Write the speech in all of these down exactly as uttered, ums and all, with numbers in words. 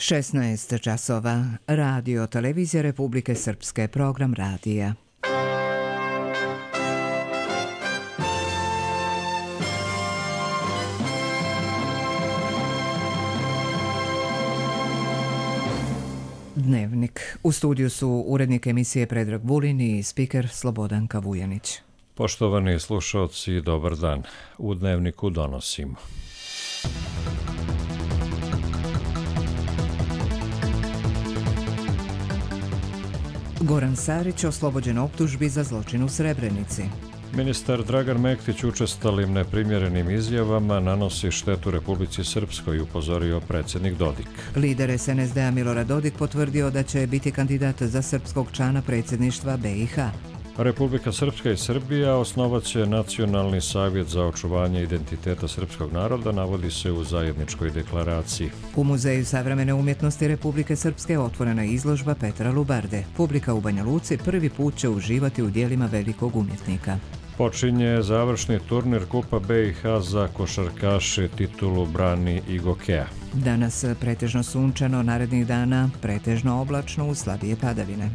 šesnaest časova. Radio Televizija Republike Srpske, program radija. Dnevnik. U studiju su urednik emisije Predrag Vulin i spiker Slobodanka Vujanić. Poštovani slušalci, dobar dan. U Dnevniku donosimo. Goran Sarić oslobođen optužbi za zločin u Srebrenici. Ministar Dragan Mektić učestalim neprimjerenim izjavama nanosi štetu Republici Srpskoj, upozorio predsjednik Dodik. Lider es en es de a Milorad Dodik potvrdio da će biti kandidat za srpskog člana predsjedništva be i ha. Republika Srpska i Srbija osnovat će Nacionalni savjet za očuvanje identiteta srpskog naroda, navodi se u zajedničkoj deklaraciji. U Muzeju savremene umjetnosti Republike Srpske otvorena je izložba Petra Lubarde. Publika u Banja Luci prvi put će uživati u djelima velikog umjetnika. Počinje završni turnir Kupa be i ha za košarkaše, titulu brani i Gokea. Danas pretežno sunčano, narednih dana pretežno oblačno uz slabije padavine.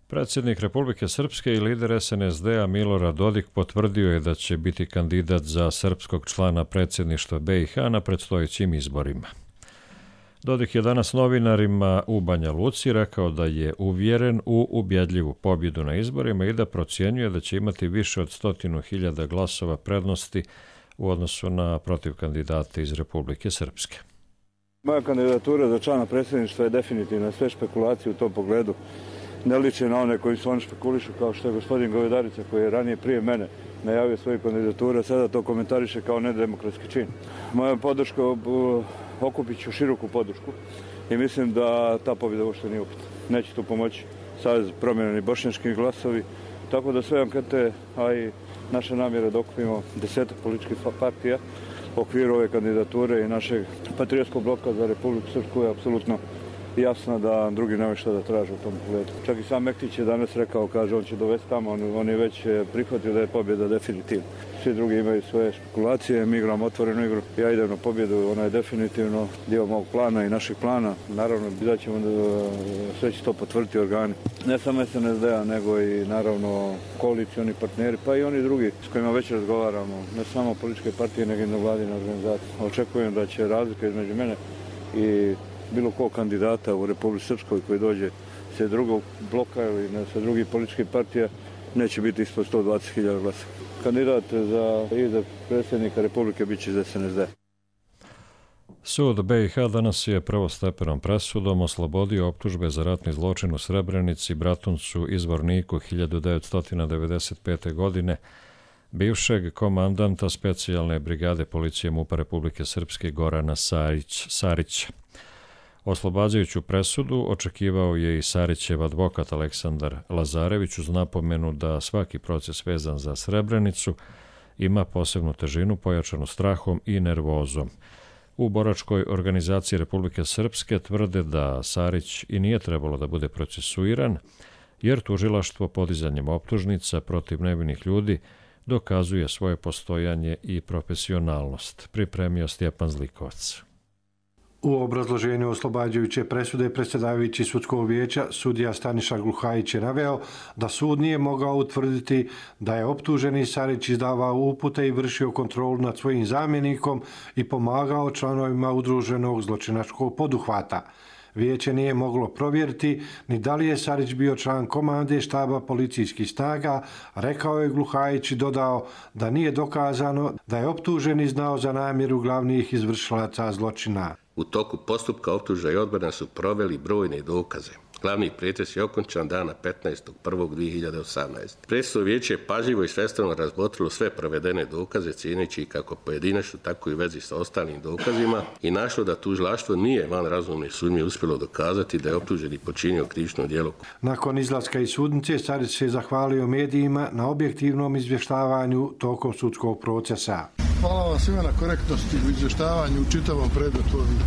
Predsjednik Republike Srpske i lider es en es de a Milorad Dodik potvrdio je da će biti kandidat za srpskog člana predsjedništva be i ha na predstojećim izborima. Dodik je danas novinarima u Banja Luci rekao da je uvjeren u ubjedljivu pobjedu na izborima i da procjenjuje da će imati više od stotinu hiljada glasova prednosti u odnosu na protiv kandidate iz Republike Srpske. Moja kandidatura za člana predsjedništva je definitivna. Sve špekulacije u tom pogledu ne liče na one koji su oni špekulišu, kao što je gospodin Govedarica, koji je ranije prije mene najavio svoju kandidaturu, a sada to komentariše kao nedemokratski čin. Moja podrška, okupit ću široku podršku i mislim da ta pobjeda uopšte nije upitna. Neće tu pomoći Savez promjeni bošnjački glasovi, tako da sve ankete, a i naše namjere da okupimo desetak političkih partija u okviru ove kandidature i našeg patriotskog bloka za Republiku Srpsku je apsolutno jasno da drugi nemaju što da traže u tom pogledu. Čak i sam Mektić je danas rekao, kaže, on će dovesti tamo, on, on je već prihvatio da je pobjeda definitivna. Svi drugi imaju svoje špekulacije, mi igramo otvorenu igru. Ja idem na pobjedu, ona je definitivno dio mog plana i našeg plana. Naravno, da ćemo da sve će to potvrditi organi. Ne samo es en es de a, nego i naravno koalicioni partneri, pa i oni drugi s kojima već razgovaramo. Ne samo političke partije, nego i nevladine organizacije. Očekujem da će razlika između mene i bilo kog kandidata u Republici Srpskoj koji dođe sa drugog bloka ili sa drugih političkih partija neće biti ispod sto dvadeset hiljada glasa. Kandidat za izbor predsjednika Republike bit će iz es en es de a. Sud be i ha danas je prvostepenom presudom oslobodio optužbe za ratni zločin u Srebrenici, Bratuncu i Zvorniku hiljadu devetsto devedeset pete. godine bivšeg komandanta specijalne brigade policije MUP-a Republike Srpske Gorana Sarić, Sarića. Oslobađajuću presudu očekivao je i Sarićev advokat Aleksandar Lazarević uz napomenu da svaki proces vezan za Srebrenicu ima posebnu težinu pojačanu strahom i nervozom. U boračkoj organizaciji Republike Srpske tvrde da Sarić i nije trebalo da bude procesuiran, jer tužilaštvo podizanjem optužnica protiv nevinih ljudi dokazuje svoje postojanje i profesionalnost, pripremio Stjepan Zlikovac. U obrazloženju oslobađajuće presude predsjedavajući sudskog vijeća sudija Staniša Gluhajić je naveo da sud nije mogao utvrditi da je optuženi Sarić izdavao upute i vršio kontrolu nad svojim zamjenikom i pomagao članovima udruženog zločinačkog poduhvata. Vijeće nije moglo provjeriti ni da li je Sarić bio član komande štaba policijskih snaga, rekao je Gluhajić i dodao da nije dokazano da je optuženi znao za namjeru glavnih izvršilaca zločina. U toku postupka optužba i odbrana su proveli brojne dokaze. Glavni pretres je okončan dana petnaestog prvog dvije hiljade osamnaeste. Predsjedno vijeće je pažljivo i svestrano razmotrilo sve provedene dokaze, cijeneći kako pojedinačno, tako i u vezi sa ostalim dokazima i našlo da tužilaštvo nije van razumne sumnje uspjelo dokazati da je optuženi počinio krivično djelo. Nakon izlaska iz sudnice, Sarić se zahvalio medijima na objektivnom izvještavanju tokom sudskog procesa. Hvala vam svima na korektnosti u izvještavanju u čitavom predmetu ovih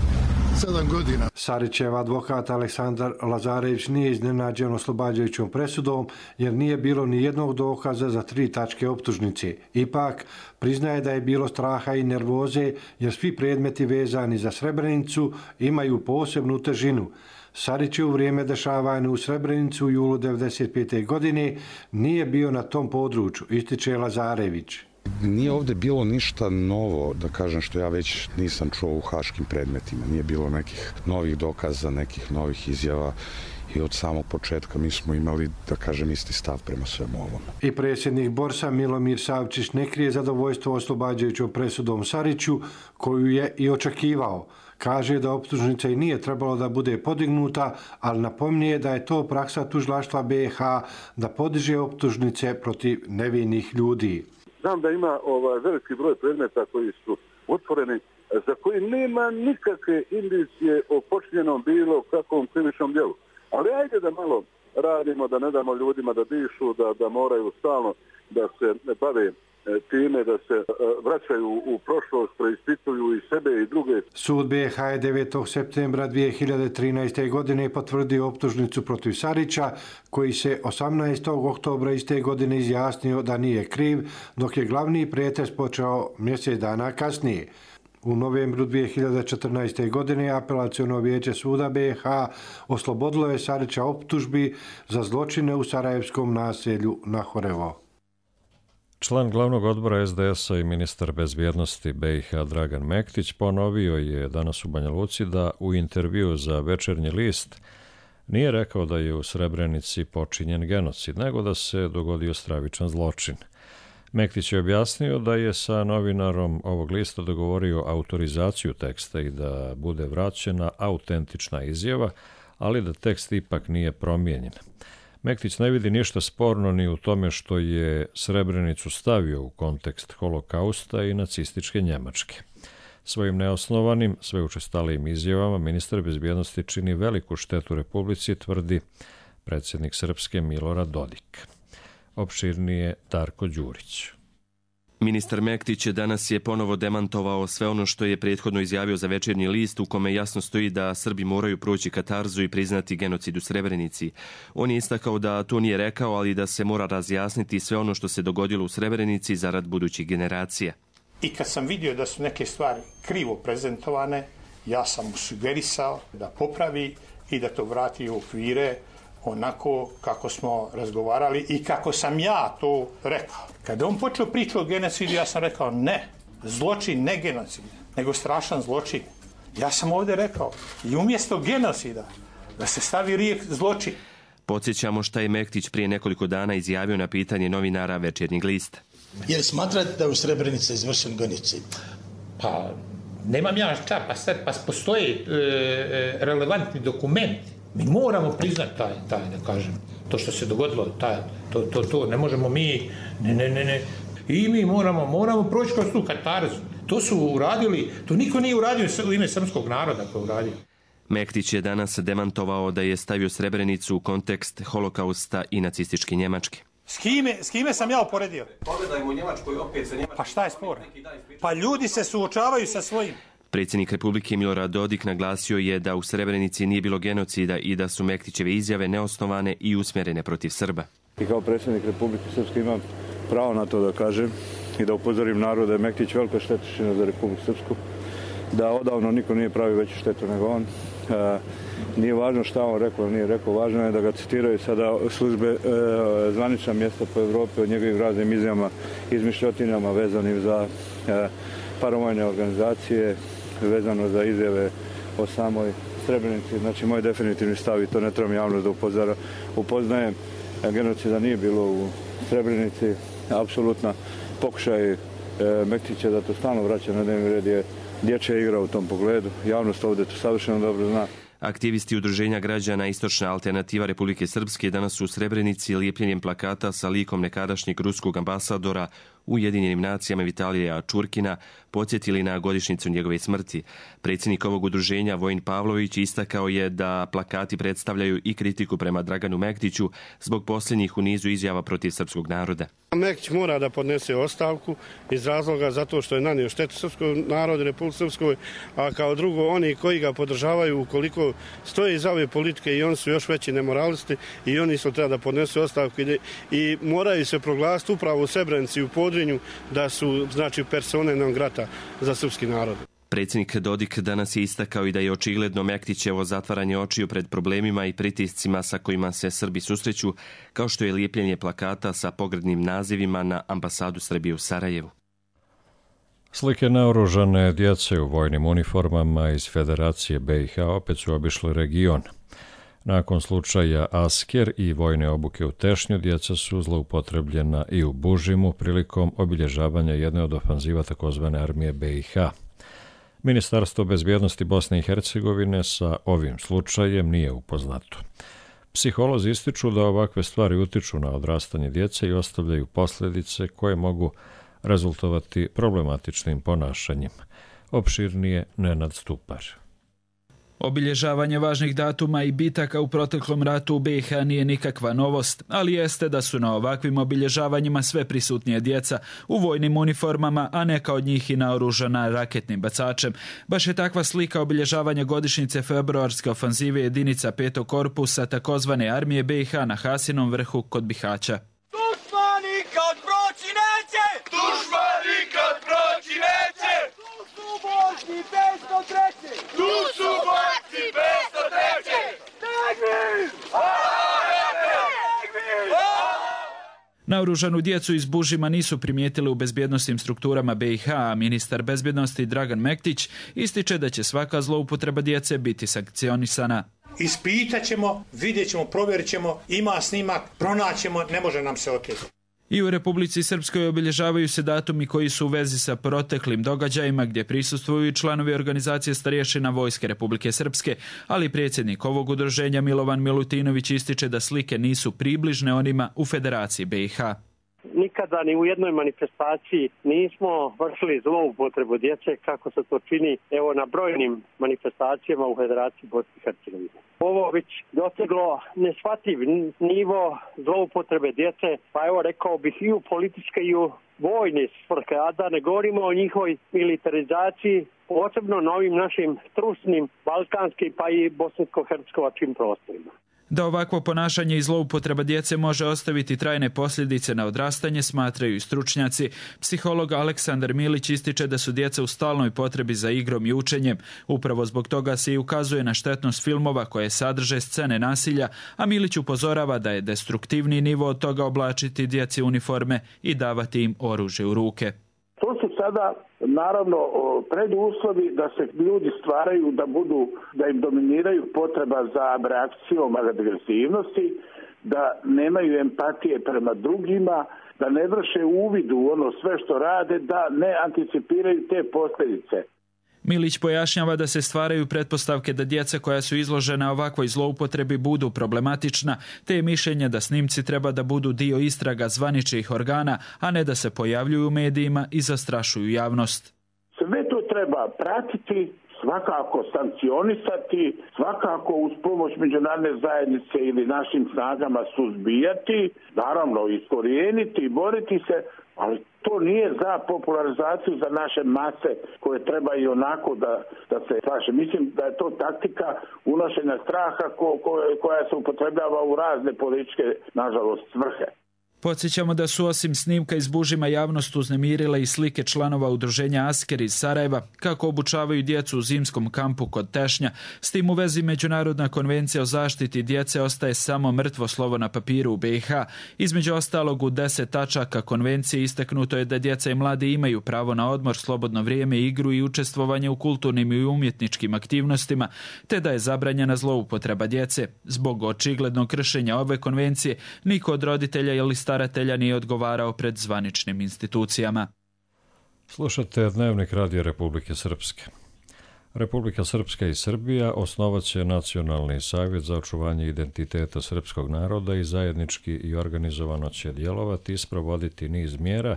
sedam godina. Sarićev advokat Aleksandar Lazarević nije iznenađen oslobađajućom presudom jer nije bilo ni jednog dokaza za tri tačke optužnice. Ipak, priznaje da je bilo straha i nervoze jer svi predmeti vezani za Srebrenicu imaju posebnu težinu. Sarić je u vrijeme dešavanja u Srebrenicu u julu devedeset pete. godine nije bio na tom području, ističe Lazarević. Nije ovdje bilo ništa novo, da kažem, što ja već nisam čuo u haškim predmetima. Nije bilo nekih novih dokaza, nekih novih izjava i od samog početka mi smo imali, da kažem, isti stav prema svemu ovom. I predsjednik Borsa Milomir Savčić ne krije zadovoljstvo oslobađajućom presudom Sariću, koju je i očekivao. Kaže da optužnica i nije trebalo da bude podignuta, ali napominje da je to praksa tužilaštva B i H da podiže optužnice protiv nevinih ljudi. Znam da ima ovaj veliki broj predmeta koji su otvoreni, za koji nema nikakve indicije o počinjenom bilo kakvom krivičnom djelu. Ali ajde da malo radimo, da ne damo ljudima da dišu, da, da moraju stalno da se bave time, da se vraćaju u prošlost, preispituju i sebe i druge. Sud B i H je devetog septembra dvije hiljade trinaeste. godine potvrdio optužnicu protiv Sarića, koji se osamnaestog oktobra iste godine izjasnio da nije kriv, dok je glavni pretres počeo mjesec dana kasnije. U novembru dvije hiljade četrnaeste. godine apelaciono vijeće suda B i H oslobodilo je Sarića optužbi za zločine u sarajevskom naselju Nahorevo. Član glavnog odbora es de es a i ministar bezbjednosti be i ha Dragan Mektić ponovio je danas u Banja Luci da u intervju za Večernji list nije rekao da je u Srebrenici počinjen genocid, nego da se dogodio stravičan zločin. Mektić je objasnio da je sa novinarom ovog lista dogovorio autorizaciju teksta i da bude vraćena autentična izjava, ali da tekst ipak nije promijenjen. Mektić ne vidi ništa sporno ni u tome što je Srebrenicu stavio u kontekst holokausta i nacističke Njemačke. Svojim neosnovanim, sve učestalijim izjavama ministar bezbjednosti čini veliku štetu Republici, tvrdi predsjednik Srpske Milorad Dodik. Opširnije Darko Đurić. Ministar Mektić danas je ponovo demantovao sve ono što je prethodno izjavio za Večernji list, u kome jasno stoji da Srbi moraju proći katarzu i priznati genocid u Srebrenici. On je istakao da to nije rekao, ali da se mora razjasniti sve ono što se dogodilo u Srebrenici zarad budućih generacija. I kad sam vidio da su neke stvari krivo prezentovane, ja sam mu sugerisao da popravi i da to vrati u okvire onako kako smo razgovarali i kako sam ja to rekao. Kada on počeo priču o genocidu, ja sam rekao ne, zločin, ne genocid, nego strašan zločin. Ja sam ovdje rekao i umjesto genocida da se stavi rijek zločin. Podsjećamo šta je Mektić prije nekoliko dana izjavio na pitanje novinara Večernjeg lista. Jer smatrate da je u Srebrenici izvršen genocid? Pa, nemam ja čak, pa sad pa postoje e, relevantni dokumenti. Mi moramo priznati taj, taj, da kažem, to što se dogodilo, taj, to, to, to, ne možemo mi, ne, ne, ne, ne. I mi moramo, moramo proći kroz tu katarzu. To su uradili, to niko nije uradio u ime srpskog naroda koji je uradio. Mektić je danas demantovao da je stavio Srebrenicu u kontekst holokausta i nacističke Njemačke. S kime, s kime sam ja uporedio? Pogledajmo u Njemačkoj, opet se Njemačkoj... Pa šta je spor? Pa ljudi se suočavaju sa svojim. Predsjednik Republike Milorad Dodik naglasio je da u Srebrenici nije bilo genocida i da su Mektićeve izjave neosnovane i usmjerene protiv Srba. I kao predsjednik Republike Srpske imam pravo na to da kažem i da upozorim narod da je Mektić velika štetočina za Republiku Srpsku, da odavno niko nije pravio veću štetu nego on. E, nije važno šta on rekao ili nije rekao, važno je da ga citiraju sada službe e, zvanična mjesta po Evropi o njegovim raznim izjavama, izmišljotinama vezanim za e, paravojne organizacije, vezano za izjave o samoj Srebrenici. Znači, moj definitivni stav, i to ne trebam javno da upozara, upoznajem, genocida nije bilo u Srebrenici. Apsolutna pokušaj e, Mektića da to stalno vraća na dnevni red je dječja igra u tom pogledu. Javnost ovdje to savršeno dobro zna. Aktivisti Udruženja građana Istočna alternativa Republike Srpske danas su u Srebrenici lijepljenjem plakata sa likom nekadašnjeg ruskog ambasadora u Ujedinjenim nacijama Vitalija Čurkina podsjetili na godišnjicu njegove smrti. Predsjednik ovog udruženja Vojin Pavlović istakao je da plakati predstavljaju i kritiku prema Draganu Mektiću zbog posljednjih u nizu izjava protiv srpskog naroda. Mektić mora da podnese ostavku iz razloga zato što je nanio štetu srpskog naroda, Republike Srpskoj, a kao drugo oni koji ga podržavaju ukoliko stoje iza ove politike i oni su još veći nemoralisti i oni su treba da podnesu ostavku i, i moraju se proglasiti upravo u Srebrenici i u Podrinju da su znači persone non grata za srpski narod. Predsjednik Dodik danas je istakao i da je očigledno Mektićevo zatvaranje očiju pred problemima i pritiscima sa kojima se Srbi susreću, kao što je lijepljenje plakata sa pogrdnim nazivima na ambasadu Srbije u Sarajevu. Slike naoružane djece u vojnim uniformama iz Federacije B i H opet su obišli region. Nakon slučaja Asker i vojne obuke u Tešnju, djeca su zloupotrebljena i u Bužimu prilikom obilježavanja jedne od ofanziva takozvane armije B i H. Ministarstvo bezbjednosti Bosne i Hercegovine sa ovim slučajem nije upoznato. Psiholozi ističu da ovakve stvari utiču na odrastanje djece i ostavljaju posljedice koje mogu rezultovati problematičnim ponašanjem. Opširnije Nenad Stupar. Obilježavanje važnih datuma i bitaka u proteklom ratu u B i H nije nikakva novost, ali jeste da su na ovakvim obilježavanjima sve prisutnije djeca u vojnim uniformama, a neka od njih i naoružana raketnim bacačem. Baš je takva slika obilježavanja godišnjice februarske ofanzive jedinica petog korpusa takozvane armije B i H na Hasinom vrhu kod Bihaća. Dušman nikad proći neće! Dušman nikad proći neće! Tu su borci petsto treće! Tu su borci petsto treće! Tegvir! Naoružanu djecu iz Bužima nisu primijetili u bezbjednosnim strukturama B i H, a ministar bezbjednosti Dragan Mektić ističe da će svaka zloupotreba djece biti sankcionisana. Ispitat ćemo, vidjet ćemo, provjerit ćemo, ima snimak, pronaćemo, ne može nam se oteti. I u Republici Srpskoj obilježavaju se datumi koji su u vezi sa proteklim događajima gdje prisustvuju i članovi organizacije starješina Vojske Republike Srpske, ali predsjednik ovog udruženja Milovan Milutinović ističe da slike nisu približne onima u Federaciji B i H. Nikada ni u jednoj manifestaciji nismo vršili zloupotrebu djece kako se to čini evo na brojnim manifestacijama u Federaciji Bosne i Hercegovine. Ovo već doseglo neshvatljiv nivo zloupotrebe djece, pa evo rekao bih i u političke i u vojne svrhe, a da ne govorimo o njihovoj militarizaciji, posebno na ovim našim trusnim balkanskim pa i bosansko-hercegovačkim prostorima. Da ovakvo ponašanje i zloupotreba djece može ostaviti trajne posljedice na odrastanje, smatraju i stručnjaci. Psiholog Aleksandar Milić ističe da su djeca u stalnoj potrebi za igrom i učenjem. Upravo zbog toga se i ukazuje na štetnost filmova koje sadrže scene nasilja, a Milić upozorava da je destruktivni nivo od toga oblačiti djeci uniforme i davati im oružje u ruke. To su sada naravno preduslovi da se ljudi stvaraju da budu, da im dominiraju potreba za reakcijom agresivnosti, da nemaju empatije prema drugima, da ne vrše uvid u ono sve što rade, da ne anticipiraju te posljedice. Milić pojašnjava da se stvaraju pretpostavke da djeca koja su izložena ovakvoj zloupotrebi budu problematična, te je mišljenje da snimci treba da budu dio istraga zvaničnih organa, a ne da se pojavljuju u medijima i zastrašuju javnost. Sve to treba pratiti, svakako sankcionisati, svakako uz pomoć međunarodne zajednice ili našim snagama suzbijati, naravno iskorijeniti i boriti se, ali to nije za popularizaciju za naše mase koje treba i onako da, da se slaže. Mislim da je to taktika unošenja straha ko, ko, koja se upotrebljava u razne političke, nažalost, svrhe. Podsjećamo da su osim snimka iz Bužima javnost uznemirile i slike članova udruženja Asker iz Sarajeva kako obučavaju djecu u zimskom kampu kod Tešnja. S tim u vezi Međunarodna konvencija o zaštiti djece ostaje samo mrtvo slovo na papiru u B i H. Između ostalog u deset tačaka konvencije istaknuto je da djeca i mladi imaju pravo na odmor, slobodno vrijeme, igru i učestvovanje u kulturnim i umjetničkim aktivnostima, te da je zabranjena zloupotreba djece. Zbog očiglednog kršenja ove konvencije niko od roditelja ili staratelja nije odgovarao pred zvaničnim institucijama. Slušate Dnevnik Radija Republike Srpske. Republika Srpska i Srbija osnovat će Nacionalni savjet za očuvanje identiteta srpskog naroda i zajednički i organizovano će djelovati i sprovoditi niz mjera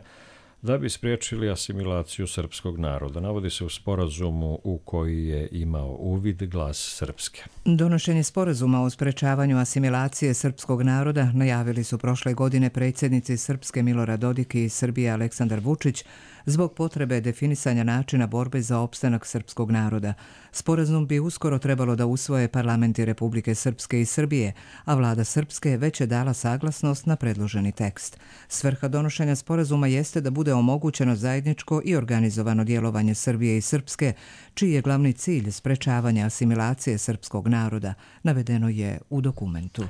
da bi spriječili asimilaciju srpskog naroda. Navodi se u sporazumu u koji je imao uvid Glas Srpske. Donošenje sporazuma o sprečavanju asimilacije srpskog naroda najavili su prošle godine predsjednici Srpske Milorad Dodik i Srbije Aleksandar Vučić zbog potrebe definisanja načina borbe za opstanak srpskog naroda. Sporazum bi uskoro trebalo da usvoje parlamenti Republike Srpske i Srbije, a vlada Srpske već je dala saglasnost na predloženi tekst. Svrha donošenja sporazuma jeste da bude omogućeno zajedničko i organizovano djelovanje Srbije i Srpske, čiji je glavni cilj sprečavanje asimilacije srpskog naroda, navedeno je u dokumentu.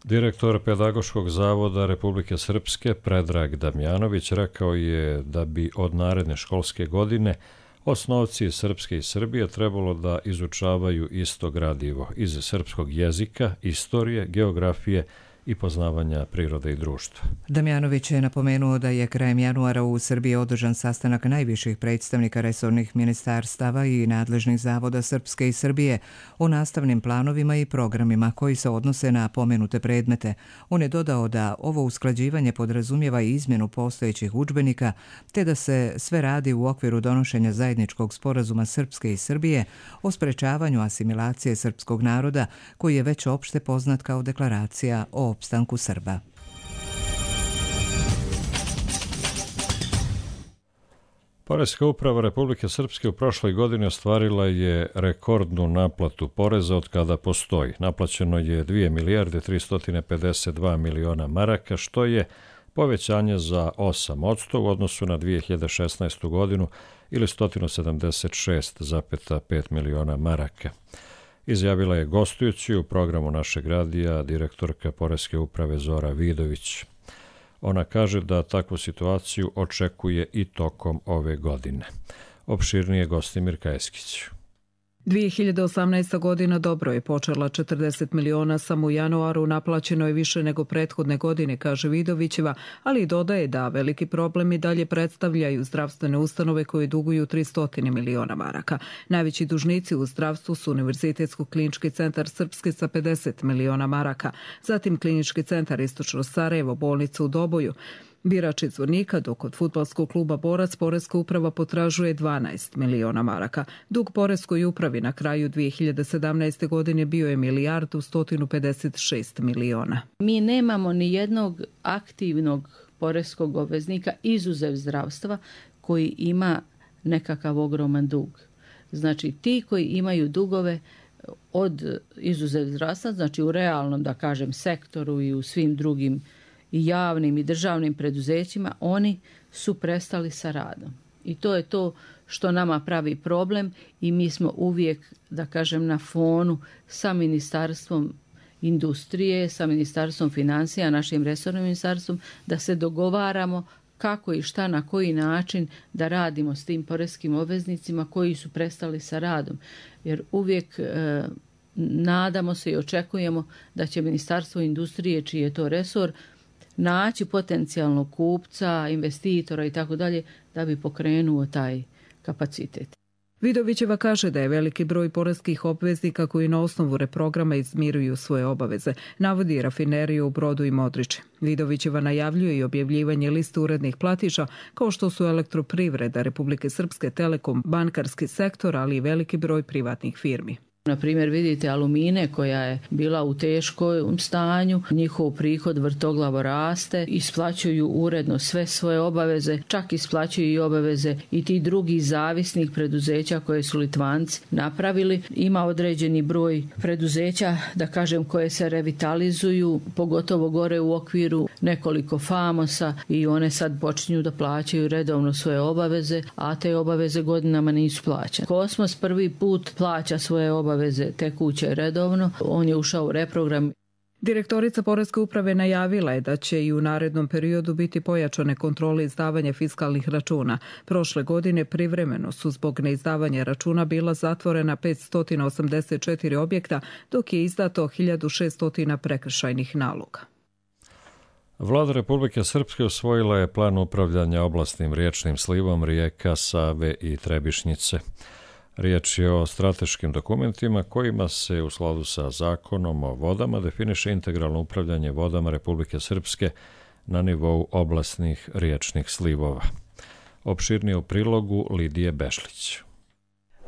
Direktor Pedagoškog zavoda Republike Srpske Predrag Damjanović rekao je da bi od naredne školske godine osnovci Srpske i Srbije trebalo da izučavaju isto gradivo iz srpskog jezika, istorije, geografije i poznavanja prirode i društva. Damjanović je napomenuo da je krajem januara u Srbiji održan sastanak najviših predstavnika resornih ministarstava i nadležnih zavoda Srpske i Srbije o nastavnim planovima i programima koji se odnose na pomenute predmete. On je dodao da ovo usklađivanje podrazumijeva i izmjenu postojećih udžbenika, te da se sve radi u okviru donošenja zajedničkog sporazuma Srpske i Srbije o sprečavanju asimilacije srpskog naroda, koji je već opšte poznat kao deklaracija o opstanku Srba. Poreska uprava Republike Srpske u prošloj godini ostvarila je rekordnu naplatu poreza od kada postoji. Naplaćeno je dvije milijarde tristo pedeset dva miliona maraka, što je povećanje za osam posto u odnosu na dvije hiljade šesnaestu godinu ili sto sedamdeset šest zarez pet miliona maraka. Izjavila je gostujući u programu našeg radija direktorka Poreske uprave Zora Vidović. Ona kaže da takvu situaciju očekuje i tokom ove godine. Opširnije Gostimir Kajeskić. dvije hiljade osamnaesta. godina dobro je počela, četrdeset miliona samo u januaru, naplaćeno je više nego prethodne godine, kaže Vidovićeva, ali dodaje da veliki problem i dalje predstavljaju zdravstvene ustanove koje duguju tristo miliona maraka. Najveći dužnici u zdravstvu su Univerzitetsko-klinički centar Srpske sa pedeset miliona maraka, zatim Klinički centar Istočno Sarajevo, bolnica u Doboju, Birač iz Zvornika, dok od fudbalskog kluba Borac Poreska uprava potražuje dvanaest miliona maraka. Dug Poreskoj upravi na kraju dvije hiljade sedamnaeste. godine bio je milijardu sto pedeset šest miliona. Mi nemamo ni jednog aktivnog poreskog obveznika, izuzev zdravstva, koji ima nekakav ogroman dug. Znači, ti koji imaju dugove od izuzev zdravstva, znači u realnom, da kažem, sektoru i u svim drugim i javnim i državnim preduzećima, oni su prestali sa radom. I to je to što nama pravi problem i mi smo uvijek, da kažem, na fonu sa Ministarstvom industrije, sa Ministarstvom financija, našim resornim ministarstvom, da se dogovaramo kako i šta, na koji način da radimo s tim poreskim obveznicima koji su prestali sa radom. Jer uvijek e, nadamo se i očekujemo da će Ministarstvo industrije, čiji je to resor, naći potencijalnog kupca, investitora i tako dalje, da bi pokrenuo taj kapacitet. Vidovićeva kaže da je veliki broj poreskih obveznika koji na osnovu reprograma izmiruju svoje obaveze. Navodi rafineriju u Brodu i Modriče. Vidovićeva najavljuje i objavljivanje liste urednih platiša, kao što su Elektroprivreda Republike Srpske, Telekom, bankarski sektor, ali i veliki broj privatnih firmi. Na primjer, vidite Alumine koja je bila u teškom stanju, njihov prihod vrtoglavo raste, isplaćuju uredno sve svoje obaveze, čak isplaćuju i obaveze i ti drugi zavisnih preduzeća koje su Litvanci napravili. Ima određeni broj preduzeća, da kažem, koje se revitalizuju, pogotovo gore u okviru nekoliko famosa i one sad počinju da plaćaju redovno svoje obaveze, a te obaveze godinama nisu plaćane. Kosmos prvi put plaća svoje obaveze obaveze tekuće redovno. On je ušao u reprogram. Direktorica Poreske uprave najavila je da će i u narednom periodu biti pojačane kontrole izdavanja fiskalnih računa. Prošle godine privremeno su zbog neizdavanja računa bila zatvorena petsto osamdeset četiri objekta, dok je izdato hiljadu šesto prekršajnih naloga. Vlada Republike Srpske usvojila je plan upravljanja oblastnim riječnim slivom rijeka Save i Trebišnjice. Riječ je o strateškim dokumentima kojima se u skladu sa zakonom o vodama definiše integralno upravljanje vodama Republike Srpske na nivou oblastnih riječnih slivova. Opširnije u prilogu Lidije Bešlić.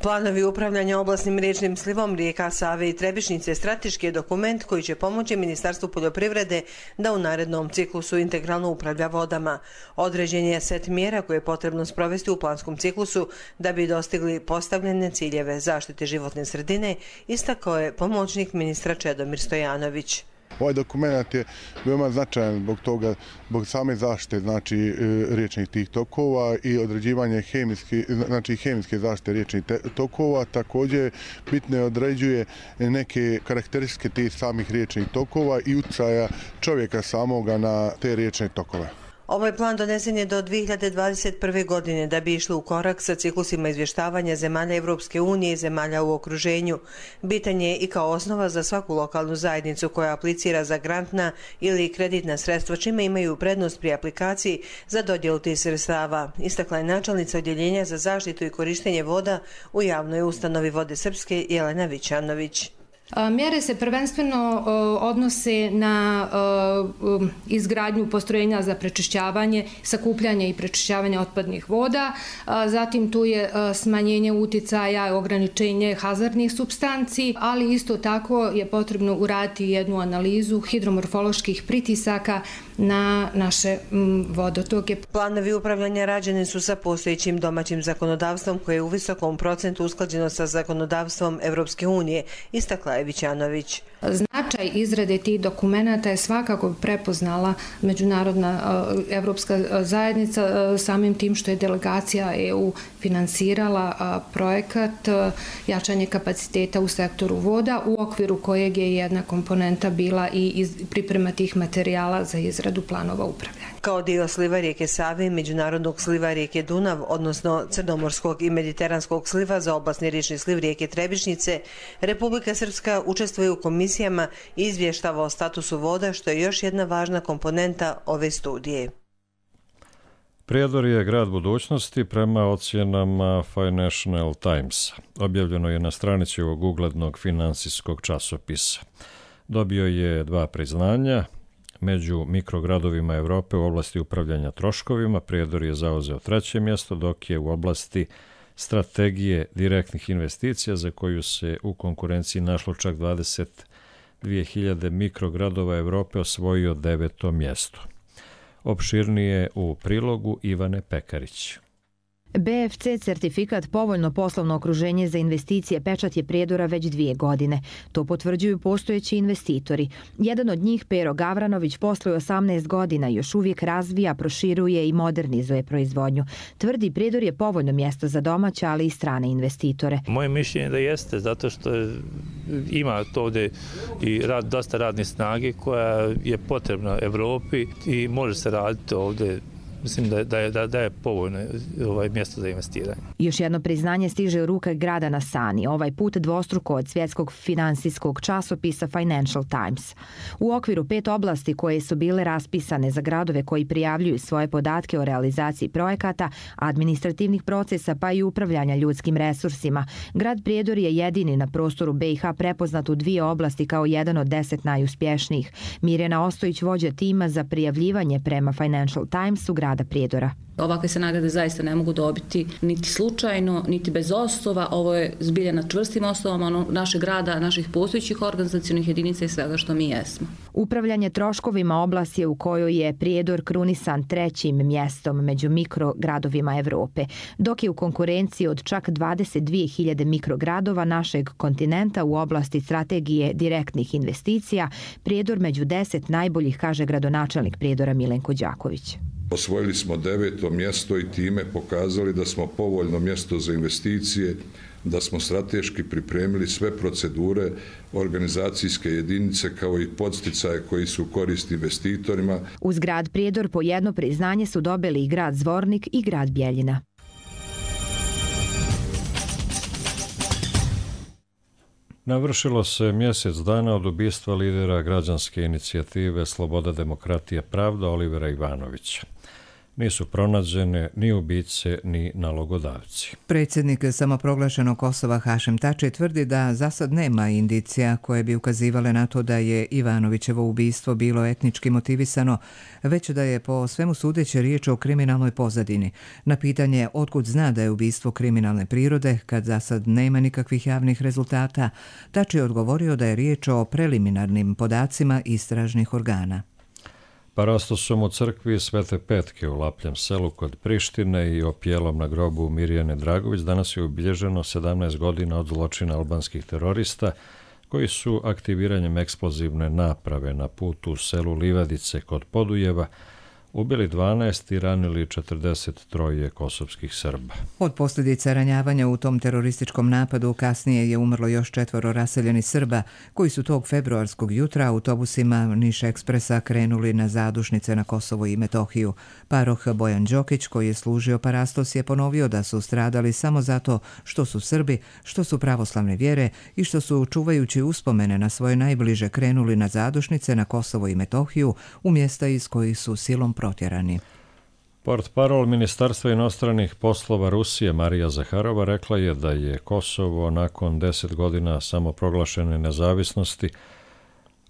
Planovi upravljanja oblasnim riječnim slivom rijeka Save i Trebišnjice strateški je dokument koji će pomoći Ministarstvu poljoprivrede da u narednom ciklusu integralno upravlja vodama. Određen je set mjera koje je potrebno sprovesti u planskom ciklusu da bi dostigli postavljene ciljeve zaštite životne sredine, istakao je pomoćnik ministra Čedomir Stojanović. Ovaj dokument je veoma značajan zbog toga, zbog same zaštite znači riječnih tih tokova i određivanje hemijske, znači hemijske zaštite riječnih tokova. Također bitno određuje neke karakteristike tih samih riječnih tokova i utjecaja čovjeka samoga na te riječne tokove. Ovaj plan donesen je do dvije hiljade dvadeset prve. godine da bi išli u korak sa ciklusima izvještavanja zemalja Evropske unije i zemalja u okruženju. Bitan je i kao osnova za svaku lokalnu zajednicu koja aplicira za grantna ili kreditna sredstva, čime imaju prednost pri aplikaciji za dodjelu tih sredstava. Istakla je načelnica odjeljenja za zaštitu i korištenje voda u javnoj ustanovi Vode Srpske Jelena Vićanović. Mjere se prvenstveno odnose na izgradnju postrojenja za prečišćavanje, sakupljanje i prečišćavanje otpadnih voda. Zatim tu je smanjenje uticaja, ograničenje hazardnih supstanci, ali isto tako je potrebno uraditi jednu analizu hidromorfoloških pritisaka na naše vodotoke. Planovi upravljanja rađeni su sa postojećim domaćim zakonodavstvom koje je u visokom procentu usklađeno sa zakonodavstvom Evropske unije, istakla je Vićanović. Značaj izrade tih dokumenata je svakako prepoznala međunarodna evropska zajednica samim tim što je delegacija E U finansirala projekat jačanje kapaciteta u sektoru voda, u okviru kojeg je jedna komponenta bila i priprema tih materijala za izradu planova upravljanja. Kao dio sliva rijeke Save i međunarodnog sliva rijeke Dunav, odnosno crnomorskog i mediteranskog sliva za oblasni riječni sliv rijeke Trebišnjice, Republika Srpska učestvuje u komisijama i izvještava o statusu voda, što je još jedna važna komponenta ove studije. Prijedor je grad budućnosti prema ocjenama Financial Timesa. Objavljeno je na stranici ovog uglednog finansijskog časopisa. Dobio je dva priznanja. Među mikrogradovima Evrope u oblasti upravljanja troškovima Prijedor je zauzeo treće mjesto, dok je u oblasti strategije direktnih investicija, za koju se u konkurenciji našlo čak dvadeset dvije hiljade mikrogradova Evrope, osvojio deveto mjesto. Opširnije u prilogu Ivane Pekarić. B F C certifikat povoljno poslovno okruženje za investicije pečat je Prijedora već dvije godine. To potvrđuju postojeći investitori. Jedan od njih, Pero Gavranović, posluje osamnaest godina i još uvijek razvija, proširuje i modernizuje proizvodnju. Tvrdi, Prijedor je povoljno mjesto za domaće, ali i strane investitore. Moje mišljenje je da jeste, zato što ima to ovdje i rad, dosta radne snage koja je potrebna Evropi i može se raditi ovdje. Mislim da, da, je, da, da je povoljno ovaj mjesto za investiranje. Još jedno priznanje stiže u ruke grada na Sani, ovaj put dvostruko od svjetskog finansijskog časopisa Financial Times. U okviru pet oblasti koje su bile raspisane za gradove koji prijavljuju svoje podatke o realizaciji projekata, administrativnih procesa pa i upravljanja ljudskim resursima, grad Prijedor je jedini na prostoru B i H prepoznat u dvije oblasti kao jedan od deset najuspješnijih. Mirjana Ostojić, vođa tima za prijavljivanje prema Financial Timesu grada Prijedora. Ovakve se nagrade zaista ne mogu dobiti niti slučajno, niti bez osnova. Ovo je zbilja na čvrstim osnovama našeg grada, naših postojećih organizacionih jedinica i svega što mi jesmo. Upravljanje troškovima oblast je u kojoj je Prijedor krunisan trećim mjestom među mikrogradovima Evrope, dok je u konkurenciji od čak dvadeset dvije hiljade mikrogradova našeg kontinenta u oblasti strategije direktnih investicija Prijedor među deset najboljih, kaže gradonačelnik Prijedora Milenko Đaković. Osvojili smo deveto mjesto i time pokazali da smo povoljno mjesto za investicije, da smo strateški pripremili sve procedure, organizacijske jedinice kao i podsticaje koji su korist investitorima. Uz grad Prijedor po jedno priznanje su dobili i grad Zvornik i grad Bjeljina. Navršilo se mjesec dana od ubistva lidera građanske inicijative Sloboda, demokratija, pravda Olivera Ivanovića. Nisu pronađene ni ubice ni nalogodavci. Predsjednik samoproglašenog Kosova Hašem Tači tvrdi da za sad nema indicija koje bi ukazivale na to da je Ivanovićevo ubistvo bilo etnički motivisano, već da je po svemu sudeći riječ o kriminalnoj pozadini. Na pitanje otkud zna da je ubistvo kriminalne prirode, kad za sad nema nikakvih javnih rezultata, Tači je odgovorio da je riječ o preliminarnim podacima istražnih organa. Parastosom u crkvi Svete Petke u Lapljem selu kod Prištine i opjelom na grobu Mirjane Dragović danas je obilježeno sedamnaest godina od zločina albanskih terorista koji su aktiviranjem eksplozivne naprave na putu u selu Livadice kod Podujeva ubili dvanaest i ranili četrdeset tri kosovskih Srba. Od posljedica ranjavanja u tom terorističkom napadu kasnije je umrlo još četvoro raseljenih Srba koji su tog februarskog jutra autobusima Niš Ekspresa krenuli na zadušnice na Kosovo i Metohiju. Paroh Bojan Đokić, koji je služio parastos, je ponovio da su stradali samo zato što su Srbi, što su pravoslavne vjere i što su, čuvajući uspomene na svoje najbliže, krenuli na zadušnice na Kosovo i Metohiju u mjesta iz kojih su silom protjerani. Portparol Ministarstva inostranih poslova Rusije Marija Zaharova rekla je da je Kosovo nakon deset godina samoproglašene nezavisnosti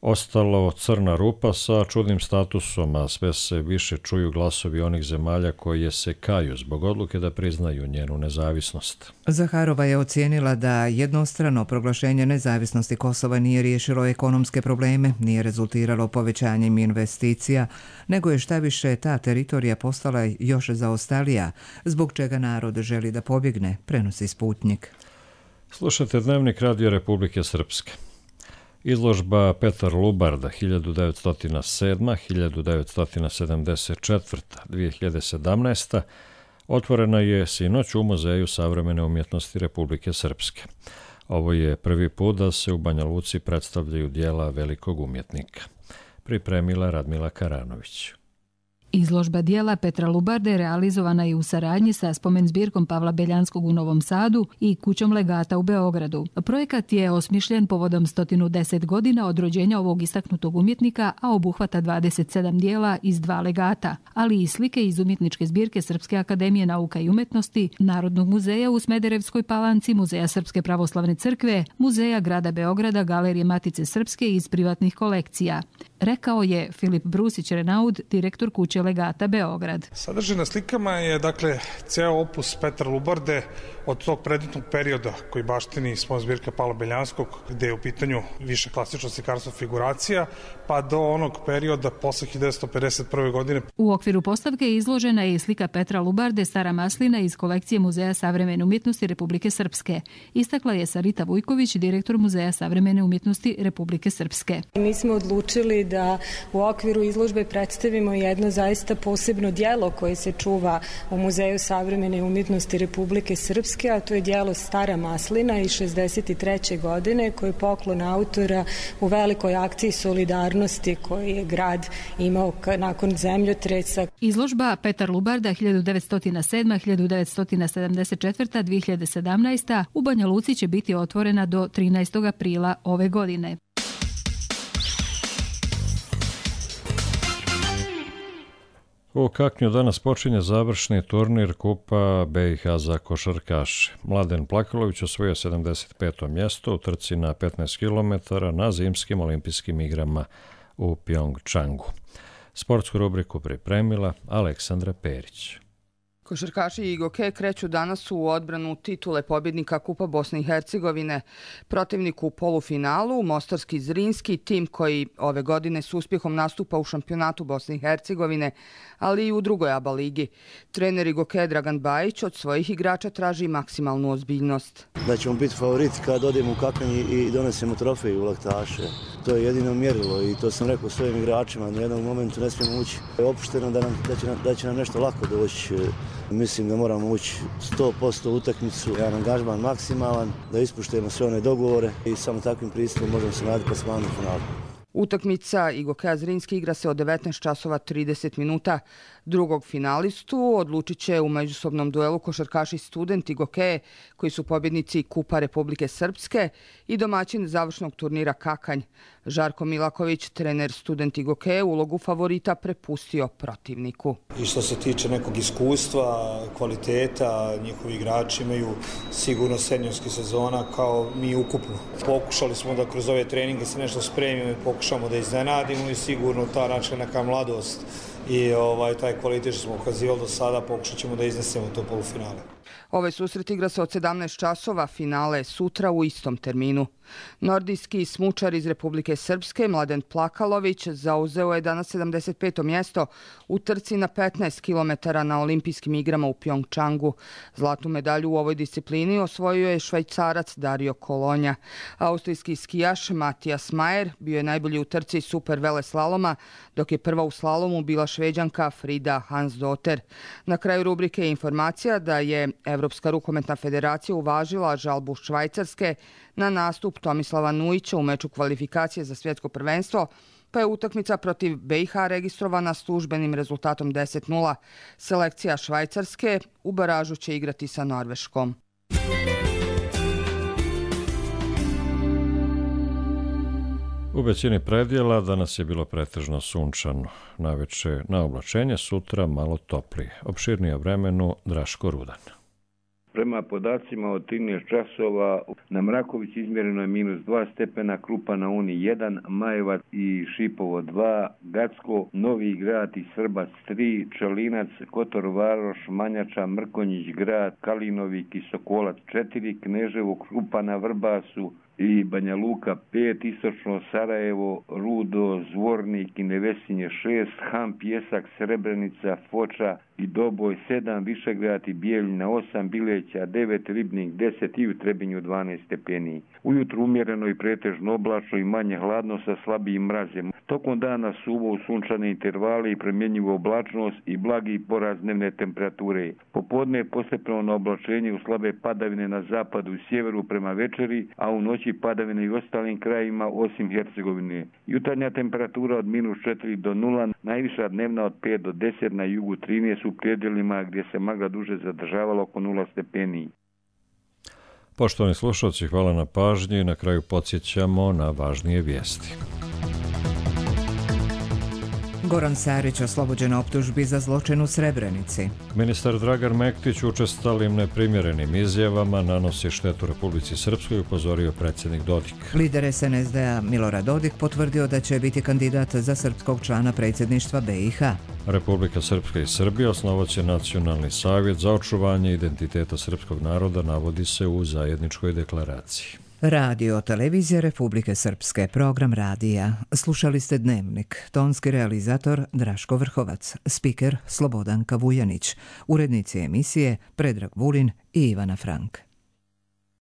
ostalo crna rupa sa čudnim statusom, a sve se više čuju glasovi onih zemalja koje se kaju zbog odluke da priznaju njenu nezavisnost. Zaharova je ocijenila da jednostrano proglašenje nezavisnosti Kosova nije riješilo ekonomske probleme, nije rezultiralo povećanjem investicija, nego je štaviše ta teritorija postala još zaostalija, zbog čega narod želi da pobjegne, prenosi Sputnik. Slušajte Dnevnik Radio Republike Srpske. Izložba Petar Lubarda hiljadu devetsto sedam do hiljadu devetsto sedamdeset četvrta do dvije hiljade sedamnaeste. otvorena je sinoć u Muzeju savremene umjetnosti Republike Srpske. Ovo je prvi put da se u Banja Luci predstavljaju dijela velikog umjetnika. Pripremila Radmila Karanović. Izložba dijela Petra Lubarde realizovana je u saradnji sa spomen zbirkom Pavla Beljanskog u Novom Sadu i Kućom legata u Beogradu. Projekat je osmišljen povodom sto deset godina od rođenja ovog istaknutog umjetnika, a obuhvata dvadeset sedam dijela iz dva legata, ali i slike iz umjetničke zbirke Srpske akademije nauka i umetnosti, Narodnog muzeja u Smederevskoj Palanci, Muzeja Srpske pravoslavne crkve, Muzeja grada Beograda, Galerije Matice Srpske i iz privatnih kolekcija. Rekao je Filip Brusić-Renaud, direktor Kuće legata Beograd. Sadržaj na slikama je, dakle, ceo opus Petra Lubarde od tog predmetnog perioda koji baštini spomen zbirka Pavla Beljanskog, gde je u pitanju više klasično slikarstvo figuracija, pa do onog perioda posle hiljadu devetsto pedeset prve. godine. U okviru postavke izložena je i slika Petra Lubarde Stara maslina iz kolekcije Muzeja savremene umjetnosti Republike Srpske. Istakla je Sarita Vujković, direktor Muzeja savremene umjetnosti Republike Srpske. Mi smo odlučili da u okviru izložbe predstavimo jedno zaista posebno djelo koje se čuva u Muzeju savremene umjetnosti Republike Srpske, a to je djelo Stara maslina iz šezdeset treće. godine, koje je poklon autora u velikoj akciji solidarnosti koji je grad imao nakon zemljotresa. Izložba Petar Lubarda hiljadu devetsto sedam do hiljadu devetsto sedamdeset četvrta. do dvije hiljade sedamnaeste. u Banja Luci će biti otvorena do trinaestog aprila ove godine. U Kaknju danas počinje završni turnir Kupa B i H za košarkaše. Mladen Plakalović osvojio sedamdeset peto mjesto u trci na petnaest kilometara na zimskim olimpijskim igrama u Pjongčangu. Sportsku rubriku pripremila Aleksandra Perić. Košarkaši Igoke kreću danas u odbranu titule pobjednika Kupa Bosne i Hercegovine. Protivnik u polufinalu, Mostarski Zrinski, tim koji ove godine s uspjehom nastupa u šampionatu Bosne i Hercegovine, ali i u drugoj A B A ligi. Trener Igoke Dragan Bajić od svojih igrača traži maksimalnu ozbiljnost. Da ćemo biti favoriti kad odemo u Kakanj i donesemo trofej u Laktaše. To je jedino mjerilo i to sam rekao svojim igračima. Na jednom momentu ne smijemo ući opušteno da, nam, da, će nam, da će nam nešto lako doći. Mislim da moramo ući sto posto u utakmicu, jedan angažman maksimalan, da ispuštujemo sve one dogovore i samo takvim pristupom možemo se nadati plasmanu u finalu. Utakmica Igoke Zrinski igra se od devetnaest časova trideset minuta. Drugog finalistu odlučit će u međusobnom duelu košarkaši studenti Gokeje, koji su pobjednici Kupa Republike Srpske i domaćin završnog turnira Kakanj. Žarko Milaković, trener studenti Gokeje, ulogu favorita prepustio protivniku. I što se tiče nekog iskustva, kvaliteta, njihovi igrači imaju sigurno seniorski sezona kao mi ukupno. Pokušali smo da kroz ove treninge se nešto spremimo i pokušamo da iznenadimo i sigurno ta način neka mladost i ovaj, taj kvalitet što smo ukazivali do sada pokušat ćemo da iznesemo to polufinale. Ovaj susret igra se od sedamnaest časova, finale sutra u istom terminu. Nordijski smučar iz Republike Srpske, Mladen Plakalović, zauzeo je danas sedamdeset peto mjesto u trci na petnaest kilometara na olimpijskim igrama u Pjongčangu. Zlatnu medalju u ovoj disciplini osvojio je Švajcarac Dario Kolonja. Austrijski skijaš Matijas Majer bio je najbolji u trci super veleslaloma, dok je prva u slalomu bila Šveđanka Frida Hansdotter. Na kraju rubrike je informacija da je Evropska rukometna federacija uvažila žalbu Švajcarske na nastup Tomislava Nujića u meču kvalifikacije za svjetsko prvenstvo, pa je utakmica protiv B i H registrovana službenim rezultatom deset nula. Selekcija Švajcarske u baražu će igrati sa Norveškom. U većini predjela danas je bilo pretežno sunčano. Naveče na oblačenje, sutra malo toplije. Opširnije o vremenu Draško Rudan. Prema podacima od trinaest časova na Mraković izmjereno je minus dva stepena, Krupa na Uni jedan, Majevac i Šipovo dva, Gacko, Novi Grad i Srbac tri, Čelinac, Kotor Varoš, Manjača, Mrkonjić Grad, Kalinovik i Sokolac četiri, Kneževo, Krupa na Vrbasu i Banja Luka pet, istočno Sarajevo, Rudo, Zvornik i Nevesinje šest, Ham, Pjesak, Srebrenica, Foča i Doboj sedam, Višegrad i Bijeljina osam, Bileća devet, Ribnik deset i u Trebinju dvanaest stepeni. Ujutru umjereno i pretežno oblačno i manje hladno sa slabijim mrazem. Tokom dana suvo u sunčane intervale i promjenjivu oblačnost i blagi porast dnevne temperature. Popodne je postepeno na oblačenje u slabe padavine na zapadu i sjeveru prema večeri, a u noći padavine i ostalim krajima osim Hercegovine. Jutarnja temperatura od minus četiri do nula, najviša dnevna od pet do deset, na jugu trinaest u predjelima gdje se magla duže zadržavala oko nula stepeni. Poštovani slušalci, hvala na pažnji. Na kraju podsjećamo na važnije vijesti. Goran Sarić oslobođen optužbi za zločin u Srebrenici. Ministar Dragan Mektić učestalim neprimjerenim izjavama nanosi štetu Republici Srpskoj, upozorio predsjednik Dodik. Lider es en es de a Milorad Dodik potvrdio da će biti kandidat za srpskog člana predsjedništva B i H. Republika Srpska i Srbija osnovaće Nacionalni savjet za očuvanje identiteta srpskog naroda, navodi se u zajedničkoj deklaraciji. Radio Televizija Republike Srpske, program radija. Slušali ste Dnevnik, tonski realizator Draško Vrhovac, spiker Slobodanka Vujanić, urednici emisije Predrag Vulin i Ivana Frank.